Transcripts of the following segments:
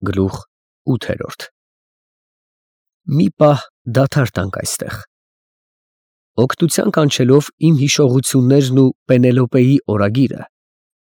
Գլուխ 8։ Մի պահ դադար տանք այստեղ։ Օգնության կանչելով իմ հիշողություններն ու Պենելոպեի օրագիրը,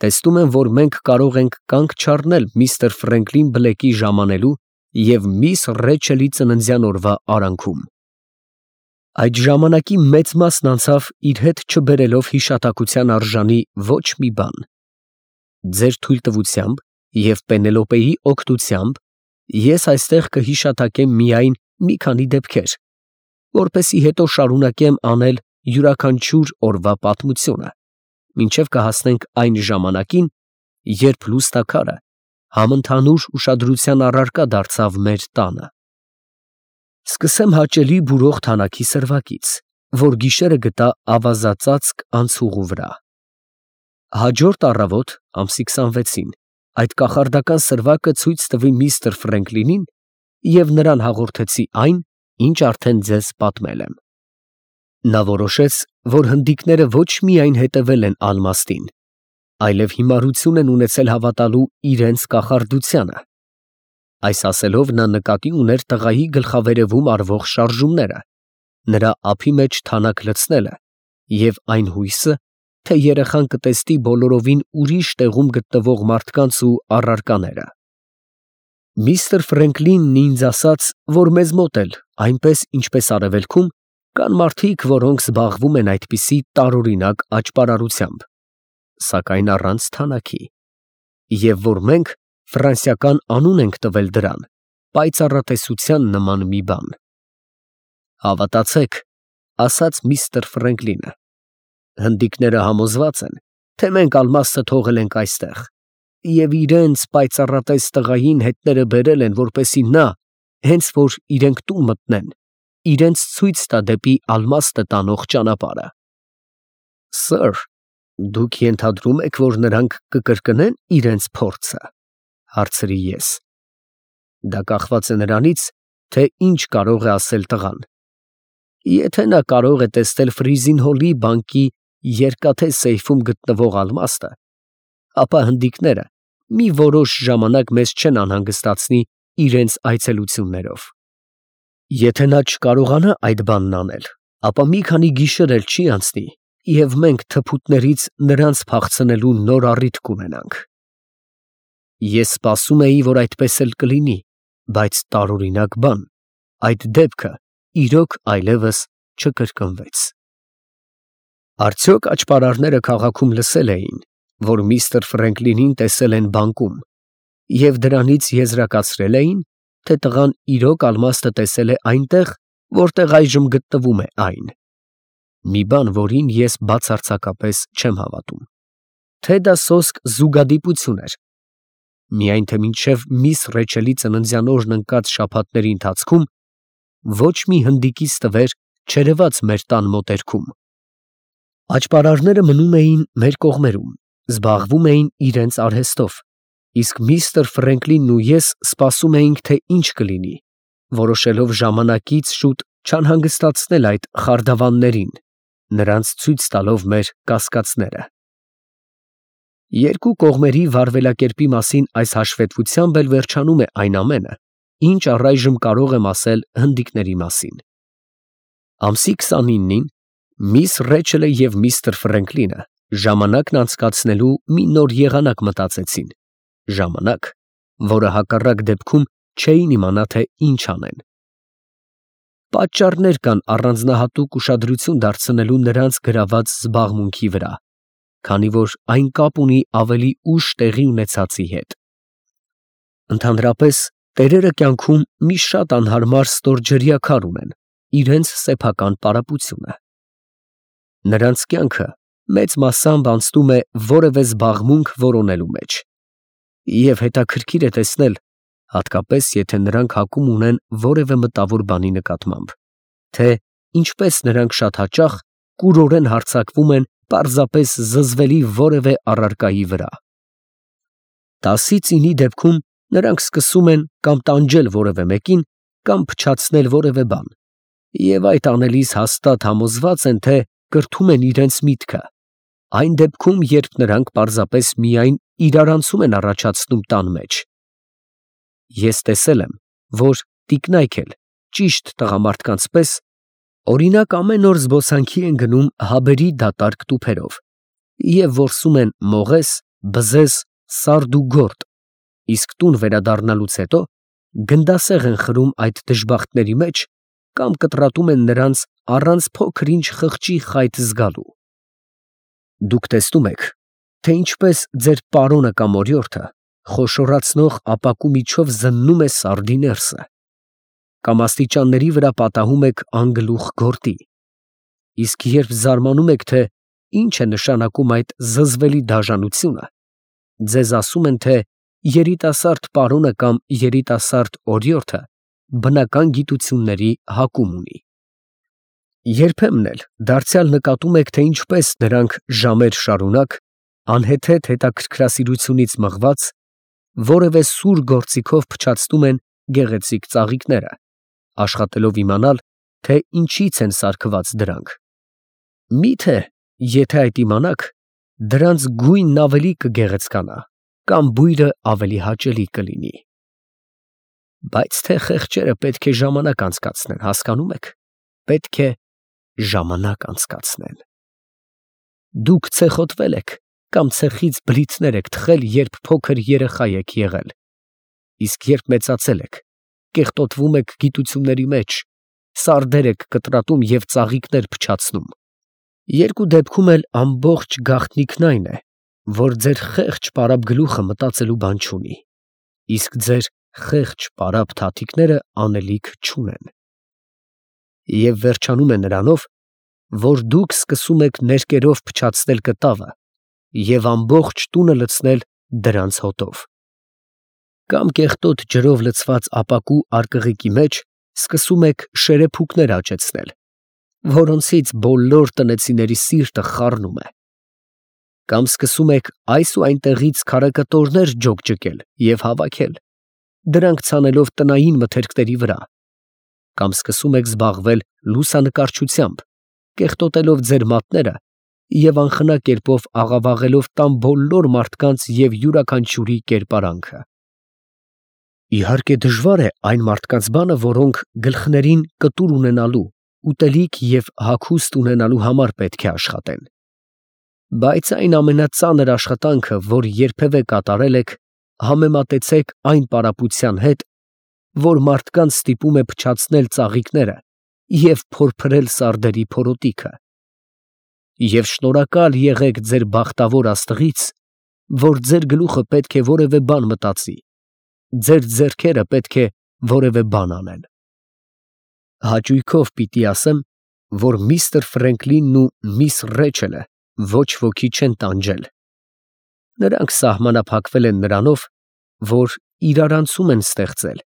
տեսնում եմ, որ մենք կարող ենք կանգ չառնել միստր Ֆրենկլին Բլեքի ժամանելու և միս Ռեչելի ծննդյան օրվա արանքում։ Այդ ժամանակի մեծ մասն անցավ իր հետ չբերելով հիշատակության արժանի ոչ մի բան։ Ձեր թույլտվությամբ և Պենելոպեի օգնությամբ ես այստեղ կհիշատակեմ միայն մի քանի դեպքեր, որպեսզի հետո շարունակեմ անել յուրաքանչյուր օրվա պատմությունը, մինչև կհասնենք այն ժամանակին, երբ լուսնաքարը համընդհանուր ուշադրության առարկա դարձավ մեր տանը։ Սկսեմ հաճելի բուրող թանաքի սրվակից, որ գիշերը գտա ավազածածկ անցուղու վրա։ Հաջորդ առավոտ, ամսի 26-ին, այդ կախարդական սրվակը ցույց տվի միստր Ֆրենկլինին և նրան հաղորդեցի այն, ինչ արդեն ձեզ պատմել եմ։ Նա որոշեց, որ հնդիկները ոչ միայն հետևել են ալմաստին, այլև հիմարություն են ունեցել հավատալու իրենց կախարդությանը։ Այս ասելով նա նկատի ուներ տղայի գլխավերևում արվող շարժումները, նրա ափի մեջ թանաք լցնելը և այն հույսը, թե երեխան կտեսնի բոլորովին ուրիշ տեղում գտնվող մարդկանց ու առարկաները։ Միստր Ֆրենկլինն ինձ ասաց, որ մեզ մոտ էլ, այնպես ինչպես արևելքում, կան մարդիկ, որոնք զբաղվում են այդպիսի տարօրինակ աճպարարությամբ, սակայն առանց թանաքի, և որ մենք ֆրանսիական անուն ենք տվել դրան, պայծառատեսության նման մի բան։ Հավատացեք, ասաց միստր Ֆրենկլինը, հնդիկները համոզված են, թե մենք ալմաստը թողել ենք այստեղ, և իրենց պայծառատես տղային հետները բերել են, որպեսզի նա, հենց որ իրենք տուն մտնեն, իրենց ցույց տա դեպի ալմաստը տանող ճանապարհը։ Սըր, դուք ենթադրում եք, որ նրանք կկրկնեն իրենց փորձը, հարցրի ես։ Դա կախված է նրանից, թե ինչ կարող է ասել տղան։ Եթե նա կարող է տեսնել Ֆրիզինհոլի բանկի երկաթե սեյֆում գտնվող ալմաստը, ապա հնդիկները մի որոշ ժամանակ մեզ չեն անհանգստացնի իրենց այցելություններով։ Եթե նա չկարողանա այդ բանն անել, ապա մի քանի գիշեր էլ չի անցնի, և մենք թփուտներից նրանց փախցնելու նոր առիթ կունենանք։ Ես սպասում էի, որ այդպես էլ կլինի, բայց տարօրինակ բան, այդ դեպքը իրոք այլևս չկրկնվեց։ Արդյոք աճպարարները քաղաքում լսել էին, որ միստր Ֆրենկլինին տեսել են բանկում, և դրանից եզրակացրել էին, թե տղան իրոք ալմաստը տեսել է այնտեղ, որտեղ այժմ գտնվում է այն։ Մի բան, որին ես բացարձակապես չեմ հավատում, թե դա սոսկ զուգադիպություն էր, միայն թե մինչև միս Ռեչելի ծննդյան օրն ընկած շաբաթների ընթացքում ոչ մի հնդիկից տվեր չերևաց մեր տան մոտերքում։ Աճպարարները մնում էին մեր կողմերում, զբաղվում էին իրենց արհեստով, իսկ միստր Ֆրենկլինն ու ես սպասում էինք, թե ինչ կլինի, որոշելով ժամանակից շուտ չանհանգստացնել այդ խարդավաններին, նրանց ցույց տալով մեր կասկածները։ Երկու կողմերի վարվելակերպի մասին այս հաշվետվությամբ էլ վերջանում է այն ամենը, ինչ առայժմ կարող եմ ասել հնդիկների մասին։ Ամսի 29-ին միս Ռեչելը և միստր Ֆրենկլինը ժամանակն անցկացնելու մի նոր եղանակ մտածեցին, ժամանակ, որը հակառակ դեպքում չէին իմանա, թե ինչ անեն։ Պատճառներ կան առանձնահատուկ ուշադրություն դարձնելու նրանց գրաված զբաղմունքի վրա, քանի որ այն կապ ունի ավելի ուշ տեղի ունեցածի հետ։ Ընդհանրապես, տերերը կյանքում մի շատ անհարմար ստորջրյա քար ունեն, իրենց սեփական պարապությունը։ Նրանց կյանքը մեծ մասամբ անցնում է որևէ զբաղմունք որոնելու մեջ, և հետաքրքիր է տեսնել, հատկապես եթե նրանք հակում ունեն որևէ մտավոր բանի նկատմամբ, թե ինչպես նրանք շատ հաճախ կուրորեն հարձակվում են պարզապես զզվելի որևէ առարկայի վրա։ 10-ից 9-ի դեպքում նրանք սկսում են կամ տանջել որևէ մեկին, կամ փչացնել որևէ բան, և այդ անելիս հաստատ համոզված են, թե կրթում են իրենց միտքը, այն դեպքում, երբ նրանք պարզապես միայն իրարանցում են առաջացնում տան մեջ։ ես տեսել եմ, որ տիկնայք էլ ճիշտ տղամարդկանց պես օրինակ ամեն օր զբոսանքի են գնում հաբերի դատարկ տուփերով և որսում են մողես, բզեզ, սարդ ու գորտ, իսկ տուն վերադառնալուց հետո գնդասեղ են խրում այդ դժբախտների մեջ կամ կտրատում են նրանց առանց փոքր ինչ խղճի խայտ զգալու։ Դուք տեսնում եք, թե ինչպես ձեր պարոնը կամ օրիորդը խոշորացնող ապակու միջով զննում է սարդի ներսը, կամ աստիճանների վրա պատահում եք անգլուխ գորտի, իսկ երբ զարմանում եք, թե ինչ է նշանակում այդ զզվելի դաժանությունը, ձեզ ասում են, թե երիտասարդ պարոնը կամ երիտասարդ օրիորդը բնական գիտությունների հակում ունի։ Երբեմն էլ դարձյալ նկատում եք, թե ինչպես նրանք ժամեր շարունակ, անհեթեթ հետաքրքրասիրությունից մղված, որևէ սուր գործիքով փչացնում են գեղեցիկ ծաղիկները, աշխատելով իմանալ, թե ինչից են սարքված դրանք։ Միթե, եթե այդ իմանաք, դրանց գույնն ավելի կգեղեցկանա, կամ բույրը ավելի հաճելի կլինի։ Բայց թե խեղճերը պետք է ժամանակ անցկացնեն, հասկանում եք, պետք է ժամանակ անցկացնեն։ Դուք ցեխոտվել եք կամ ցեխից բլիթներ եք թխել, երբ փոքր երեխա եք եղել, իսկ երբ մեծացել եք, կեղտոտվում եք գիտությունների մեջ, սարդեր եք կտրատում և ծաղիկներ փչացնում։ Երկու դեպքում էլ ամբողջ գաղտնիքն այն է, որ ձեր խեղճ պարապ գլուխը մտածելու բան չունի, իսկ ձեր խեղճ պարապ թաթիկները անելիք չունեն։ Եվ վերջանում է նրանով, որ դուք սկսում եք ներկերով փչացնել կտավը և ամբողջ տունը լցնել դրանց հոտով։ Կամ կեղտոտ ջրով լցված ապակու արկղիկի մեջ սկսում եք շերեփուկներ աճեցնել, որոնցից բոլոր տնեցիների սիրտը խառնում է։ Կամ սկսում եք այս ու այնտեղից քարակտորներ ջոկջկել և հավաքել, դրանք ցանելով տնային մթերքների վրա, կամ սկսում եք զբաղվել լուսանկարչությամբ, կեղտոտելով ձեր մատները և անխնա կերպով աղավաղելով տան բոլոր մարդկանց և յուրաքանչյուրի կերպարանքը։ Իհարկե դժվար է այն մարդկանց բանը, որոնք գլխներին կտուր ունենալու, ուտելիք և հագուստ ունենալու համար պետք է աշխատեն։ Բայց այն ամենածանր աշխատանքը, որ երբևէ կատարել եք, համեմատեցեք այն պարապության հետ, որ մարդկանց ստիպում է փչացնել ծաղիկները և փորփրել սարդերի փորոտիքը։ Եվ շնորհակալ եղեք ձեր բախտավոր աստղից, որ ձեր գլուխը պետք է որևէ բան մտածի, ձեր ձեռքերը պետք է որևէ բան անեն։ Հաճույքով պիտի ասեմ, որ միստր Ֆրենկլինն ու միս Ռեչելը ոչ ոքի չեն տանջել։ Նրանք սահմանափակվել են նրանով, որ իրարանցում են ստեղծել,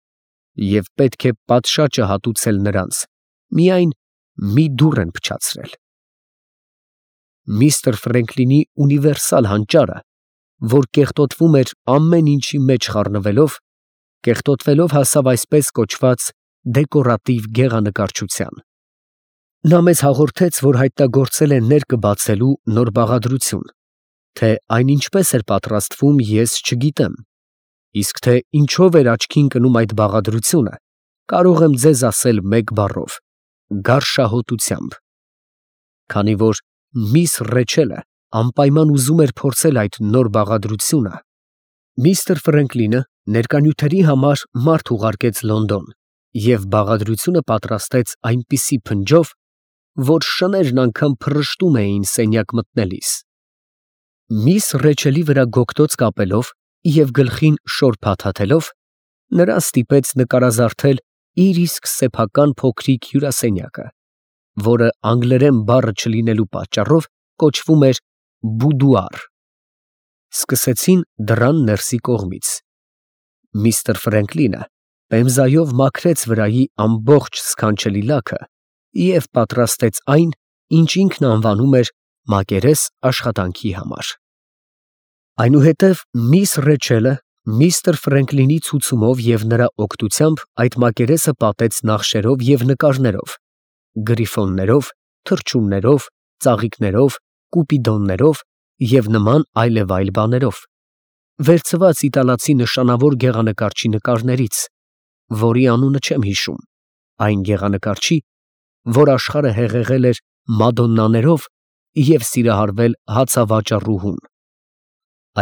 և պետք է պատշաճը հատուցել նրանց, միայն մի դուռ են փչացրել։ Միստր Ֆրենկլինի ունիվերսալ հանճարը, որ կեղտոտվում էր ամեն ինչի մեջ խառնվելով, կեղտոտվելով հասավ այսպես կոչված դեկորատիվ գեղանկարչության։ Նա մեզ հաղորդեց, որ հայտնագործել է ներկը բացելու նոր բաղադրություն, թե այն ինչպես էր պատրաստվում, ես չգիտեմ, իսկ թե ինչով էր աչքի ընկնում այդ բաղադրությունը, կարող եմ ձեզ ասել մեկ բառով՝ գարշահոտությամբ։ Քանի որ միս Ռեչելը անպայման ուզում էր փորձել այդ նոր բաղադրությունը, միստր Ֆրենկլինը ներկանյութերի համար մարդ ուղարկեց Լոնդոն և բաղադրությունը պատրաստեց այնպիսի փնջով, որ շներն անգամ փռշտում էին սենյակ մտնելիս։ Միս Ռեչելի վրա գոգտոց կապելով և գլխին շոր փաթաթելով, նրան ստիպեց նկարազարդել իր իսկ սեփական փոքրիկ հյուրասենյակը, որը անգլերեն բառը չլինելու պատճառով կոչվում էր բուդուար։ Սկսեցին դռան ներսի կողմից։ Միստր Ֆրենկլինը պեմզայով մաքրեց վրայի ամբողջ սքանչելի լաքը և պատրաստեց այն, ինչ ինքն անվանում էր մակերես աշխատանքի համար։ Այնուհետև միս Ռեչելը միստր Ֆրենկլինի ցուցումով և նրա օգնությամբ այդ մակերեսը պատեց նախշերով և նկարներով, գրիֆոններով, թռչուններով, ծաղիկներով, կուպիդոններով և նման այլևայլ բաներով, վերցված իտալացի նշանավոր գեղանկարչի նկարներից, որի անունը չեմ հիշում, այն գեղանկարչի, որ աշխարհը հեղեղել էր մադոննաներով և սիրահարվել հացավաճառուհուն։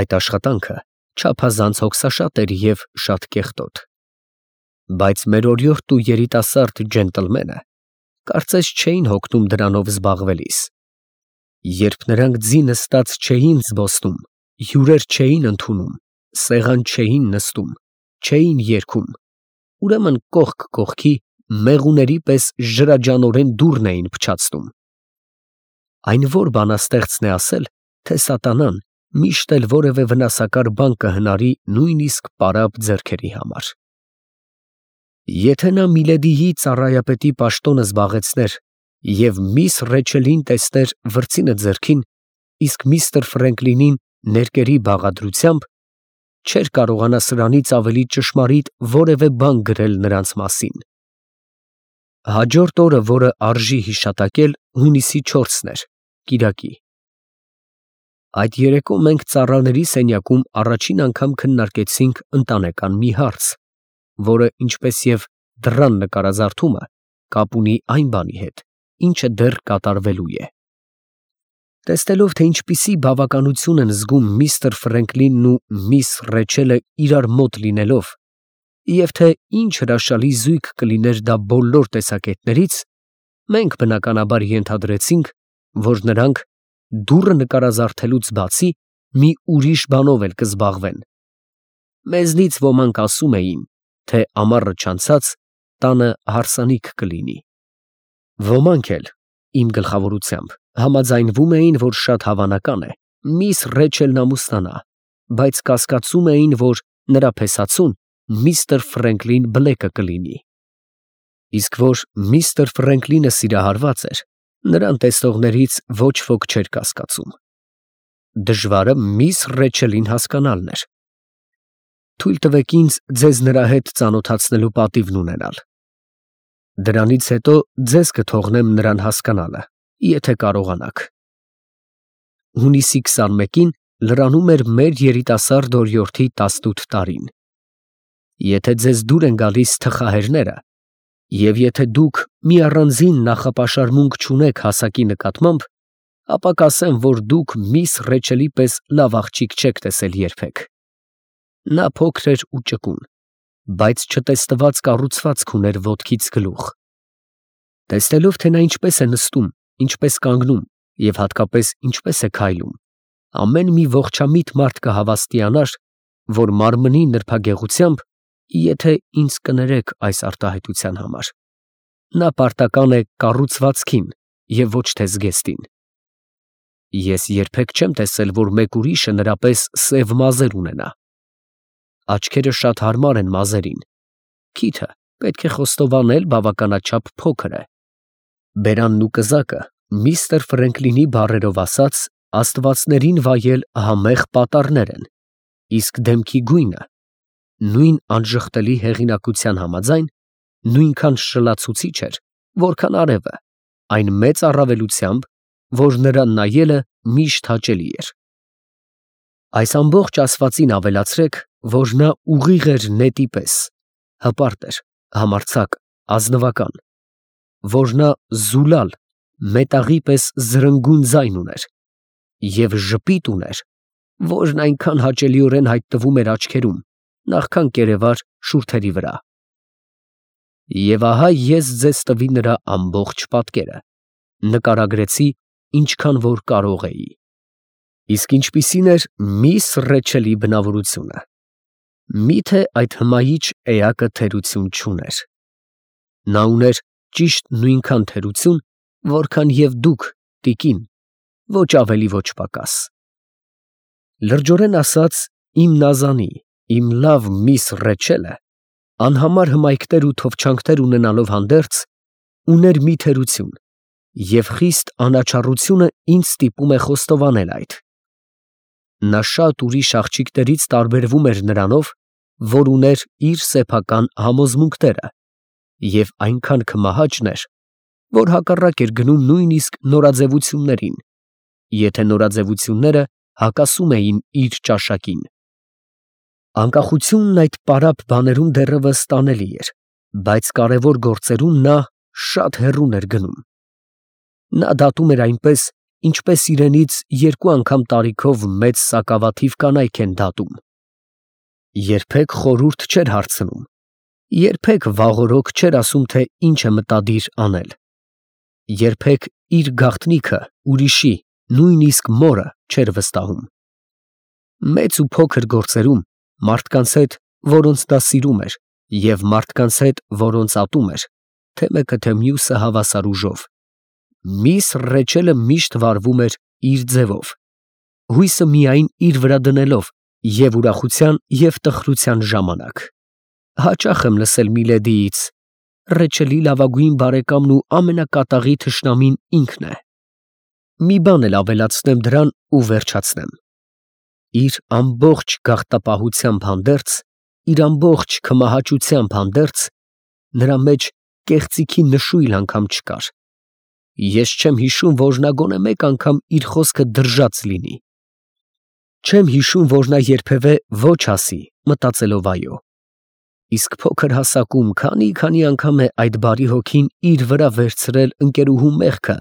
Այդ աշխատանքը չափազանց հոգսաշատ էր և շատ կեղտոտ, բայց մեր օրիորդ ու երիտասարդ ջենտլմենը կարծես չէին հոգնում դրանով զբաղվելիս։ Երբ նրանք ձի նստած չէին զբոսնում, հյուրեր չէին ընդունում, սեղան չէին նստում, չէին երգում, ուրեմն կողք կողքի մեղուների պես ջրաջանորեն դուռն էին փչացնում։ Այն որ բանաստեղծն է ասել, թե սատանան միշտ էլ որևէ վնասակար բան կհնարի նույնիսկ պարապ ձեռքերի համար։ Եթե նա Միլեդիի ծառայապետի պաշտոնը զբաղեցներ և միս Ռեչելին տեսներ վրձինը ձեռքին, իսկ միստր Ֆրենկլինին ներկերի բաղադրությամբ, չէր կարողանա սրանից ավելի ճշմարիտ որևէ բան գրել նրանց մասին։ Հաջորդ օրը, որը արժի հիշատակել, հունիսի 4-ն էր, կիրակի։ Այդ երեկո մենք ծառաների սենյակում առաջին անգամ քննարկեցինք ընտանեկան մի հարց, որը, ինչպես և դռան նկարազարդումը, կապ ունի այն բանի հետ, ինչը դեռ կատարվելու է։ Տեսնելով, թե ինչպիսի բավականություն են զգում միստր Ֆրենկլինն ու միս Ռեչելը իրար մոտ լինելով, և թե ինչ հրաշալի զույգ կլիներ դա բոլոր տեսակետներից, մենք բնականաբար ենթադրեցինք, որ նրանք դուռը նկարազարդելուց բացի մի ուրիշ բանով էլ կզբաղվեն։ Մեզնից ոմանք ասում էին, թե ամառը չանցած տանը հարսանիք կլինի։ Ոմանք էլ, իմ գլխավորությամբ, համաձայնվում էին, որ շատ հավանական է միս Ռեչելն ամուսնանա, բայց կասկածում էին, որ նրա փեսացուն միստր Ֆրենկլին Բլեկը կլինի։ Իսկ որ միստր Ֆրենկլինը սիրահարված էր, նրան տեսնողներից ոչ ոք չէր կասկածում։ Դժվարը միս Ռեչելին հասկանալն էր։ Թույլ տվեք ինձ ձեզ նրա հետ ծանոթացնելու պատիվն ունենալ։ Դրանից հետո ձեզ կթողնեմ նրան հասկանալը, եթե կարողանաք։ Հունիսի 21-ին լրանում էր մեր երիտասարդ օրիորդի 18 տարին։ Եթե ձեզ դուր են գալիս թխահերները, և եթե դուք մի առանձին նախապաշարմունք չունեք հասակի նկատմամբ, ապա կասեմ, որ դուք միս Ռեչելի պես լավ աղջիկ չեք տեսել երբեք։ Նա փոքր էր ու ճկուն, բայց չտեսնված կառուցվածք ուներ ոտքից գլուխ։ Տեսնելով, թե նա ինչպես է նստում, ինչպես կանգնում և հատկապես ինչպես է քայլում, ամեն մի ողջամիտ մարդ կհավաստիանար, որ մարմնի նրբագեղությամբ, եթե ինձ կներեք այս արտահայտության համար, նա պարտական է կառուցվածքին և ոչ թե զգեստին։ Ես երբեք չեմ տեսել, որ մեկ ուրիշը նրա պես սև մազեր ունենա։ Աչքերը շատ հարմար են մազերին, քիթը պետք է խոստովանել բավականաչափ փոքր է։ Բերանն ու կզակը, միստր Ֆրենկլինի բառերով ասած, աստվածներին վայել համեղ պատառներ են, իսկ դեմքի գույնը, նույն անժխտելի հեղինակության համաձայն, նույնքան շլացուցիչ էր, որքան արևը, այն մեծ առավելությամբ, որ նրան նայելը միշտ հաճելի էր։ Այս ամբողջ ասվածին ավելացրեք, որ նա ուղիղ էր նետի պես, հպարտ էր, համարձակ, ազնվական, որ նա զուլալ, մետաղի պես զրնգուն ձայն ուներ և ժպիտ ուներ, որն այնքան հաճելիորեն հայտնվում էր աչքերում, նախքան կերևար շուրթերի վրա։ Եվ ահա ես ձեզ տվի նրա ամբողջ պատկերը, նկարագրեցի, ինչքան որ կարող էի։ Իսկ ինչպիսին էր միս Ռեչելի բնավորությունը։ Միթե այդ հմայիչ էակը թերություն չուներ։ Նա ուներ ճիշտ նույնքան թերություն, որքան և դուք, տիկին, ոչ ավելի, ոչ պակաս։ Լրջորեն ասած, իմ նազանի, իմ լավ միս Ռեչելը, անհամար հմայքներ ու թովչանքներ ունենալով հանդերձ, ուներ մի թերություն, և խիստ անաչառությունը ինձ ստիպում է խոստովանել այդ։ Նա շատ ուրիշ աղջիկներից տարբերվում էր նրանով, որ ուներ իր սեփական համոզմունքները և այնքան քմահաճ էր, որ հակառակ էր գնում նույնիսկ նորաձևություններին, եթե նորաձևությունները հակասում էին իր ճաշակին։ Անկախությունն այդ պարապ բաներում դեռևս տանելի էր, բայց կարևոր գործերում նա շատ հեռուն էր գնում։ Նա դատում էր այնպես, ինչպես իրենից 2 անգամ տարիքով մեծ սակավաթիվ կանայք են դատում։ Երբեք խորհուրդ չէր հարցնում, երբեք վաղօրոք չէր ասում, թե ինչ է մտադիր անել, երբեք իր գաղտնիքը ուրիշի, նույնիսկ մորը չէր վստահում։ Մեծ ու փոքր գործերում մարդկանց հետ, որոնց դա սիրում էր, և մարդկանց հետ, որոնց ատում էր, թե մեկը թե մյուսը հավասար ուժով, միս Ռեչելը միշտ վարվում էր իր ձևով, հույսը միայն իր վրա դնելով և ուրախության և տխրության ժամանակ։ Հաճախ եմ լսել Միլեդիից. Ռեչելի լավագույն բարեկամն ու ամենակատաղի թշնամին ինքն է։ Մի բան էլ ավելացնեմ դրան ու վերջացնեմ. իր ամբողջ գաղտապահությամբ հանդերձ, իր ամբողջ քմահաճությամբ հանդերձ, նրա մեջ կեղծիքի նշույլ անգամ չկար։ Ես չեմ հիշում, որ նա գոնե մեկ անգամ իր խոսքը դրժած լինի։ Չեմ հիշում, որ նա երբևէ ոչ ասի, մտածելով այո։ Իսկ փոքր հասակում քանի անգամ է այդ բարի հոգին իր վրա վերցրել ընկերուհու մեղքը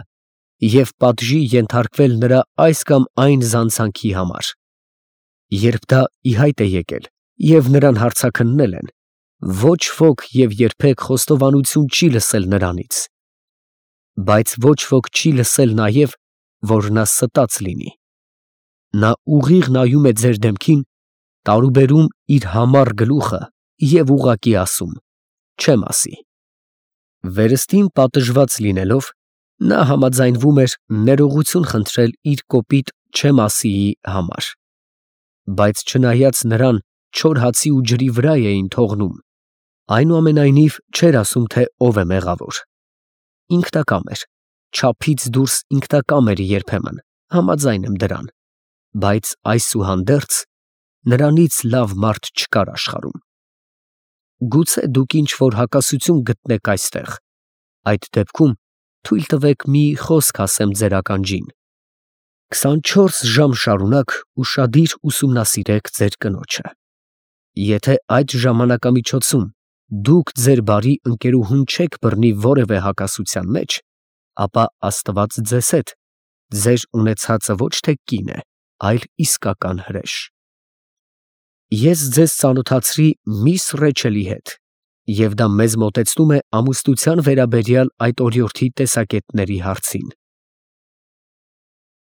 և պատժի ենթարկվել նրա այս կամ այն զանցանքի համար։ Երբ դա ի հայտ է եկել և նրան հարցաքննել են, ոչ ոք և երբեք խոստովանություն չի լսել նրանից, բայց ոչ ոք չի լսել նաև, որ նա ստած լինի։ Նա ուղիղ նայում է ձեր դեմքին, տարուբերում իր համառ գլուխը և ուղղակի ասում. չեմ ասի։ Վերստին պատժված լինելով, նա համաձայնվում էր ներողություն խնդրել իր կոպիտ չեմ ասիի համար, բայց չնայած նրան չոր հացի ու ջրի վրա էին թողնում, այնուամենայնիվ չէր ասում, թե ով է մեղավոր։ Ինքնակամ էր, չափից դուրս ինքնակամ էր երբեմն, համաձայն եմ դրան, բայց այսուհանդերձ նրանից լավ մարդ չկար աշխարհում։ Գուցե դուք ինչ-որ հակասություն գտնեք այստեղ, այդ դեպքում թույլ տվեք մի խոսք ասեմ ձեր ականջին։ 24 ժամ շարունակ ուշադիր ուսումնասիրեք ձեր կնոջը։ Եթե այդ ժամանակամիջոցում դուք ձեր բարի ընկերուհուն չեք բռնի որևէ հակասության մեջ, ապա Աստված ձեզ հետ, ձեր ունեցածը ոչ թե կին է, այլ իսկական հրեշ։ Ես ձեզ ծանոթացրի միս Ռեչելի հետ, և դա մեզ մոտեցնում է ամուսնության վերաբերյալ այդ օրիորդի տեսակետների հարցին։